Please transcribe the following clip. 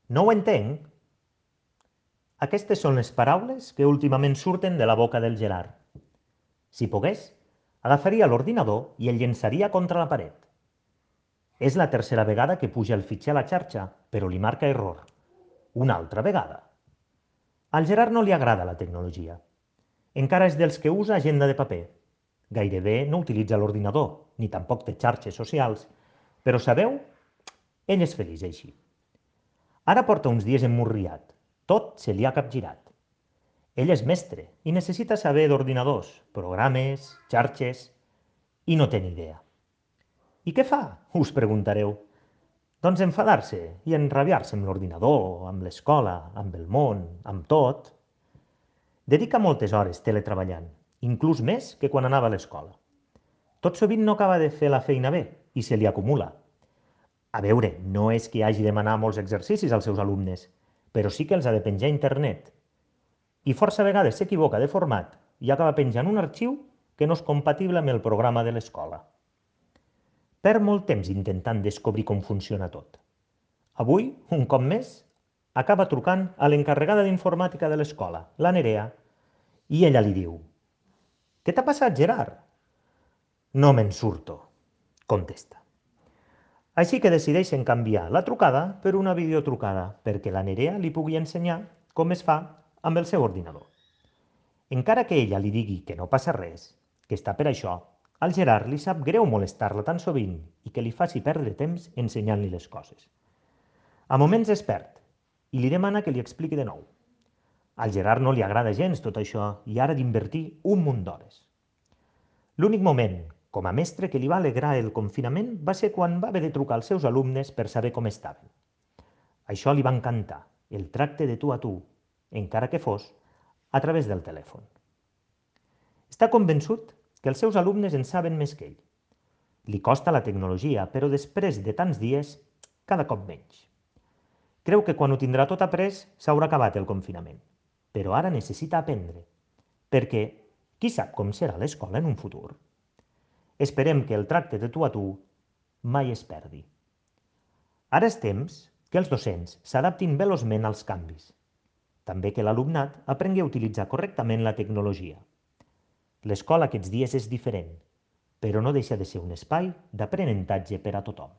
No ho entenc. Aquestes són les paraules que últimament surten de la boca del Gerard. Si pogués, agafaria l'ordinador i el llençaria contra la paret. És la tercera vegada que puja el fitxer a la xarxa, però li marca error. Una altra vegada. Al Gerard no li agrada la tecnologia. Encara és dels que usa agenda de paper. Gairebé no utilitza l'ordinador, ni tampoc té xarxes socials, però sabeu? Ell és feliç així. Ara porta uns dies emmurriat. Tot se li ha capgirat. Ell és mestre i necessita saber d'ordinadors, programes, xarxes, i no té ni idea. I què fa? Us preguntareu. Doncs enfadar-se i enrabiar-se amb l'ordinador, amb l'escola, amb el món, amb tot. Dedica moltes hores teletreballant, inclús més que quan anava a l'escola. Tot sovint no acaba de fer la feina bé i se li acumula. A veure, no és que hagi de demanar molts exercicis als seus alumnes, però sí que els ha de penjar a internet. I força vegades s'equivoca de format i acaba penjant un arxiu que no és compatible amb el programa de l'escola. Perd molt temps intentant descobrir com funciona tot. Avui, un cop més, acaba trucant a l'encarregada d'informàtica de l'escola, la Nerea, i ella li diu: «Què t'ha passat, Gerard?» «No me'n surto», contesta. Així que decideixen canviar la trucada per una videotrucada perquè la Nerea li pugui ensenyar com es fa amb el seu ordinador. Encara que ella li digui que no passa res, que està per això, al Gerard li sap greu molestar-la tan sovint i que li faci perdre temps ensenyant-li les coses. A moments es perd i li demana que li expliqui de nou. Al Gerard no li agrada gens tot això i ara d'invertir un munt d'hores. L'únic moment, com a mestre, que li va alegrar el confinament va ser quan va haver de trucar als seus alumnes per saber com estaven. Això li va encantar, el tracte de tu a tu, encara que fos a través del telèfon. Està convençut que els seus alumnes en saben més que ell. Li costa la tecnologia, però després de tants dies, cada cop menys. Creu que quan ho tindrà tot après s'haurà acabat el confinament, però ara necessita aprendre, perquè qui sap com serà l'escola en un futur? Esperem que el tracte de tu a tu mai es perdi. Ara és temps que els docents s'adaptin veloçment als canvis. També que l'alumnat aprengui a utilitzar correctament la tecnologia. L'escola aquests dies és diferent, però no deixa de ser un espai d'aprenentatge per a tothom.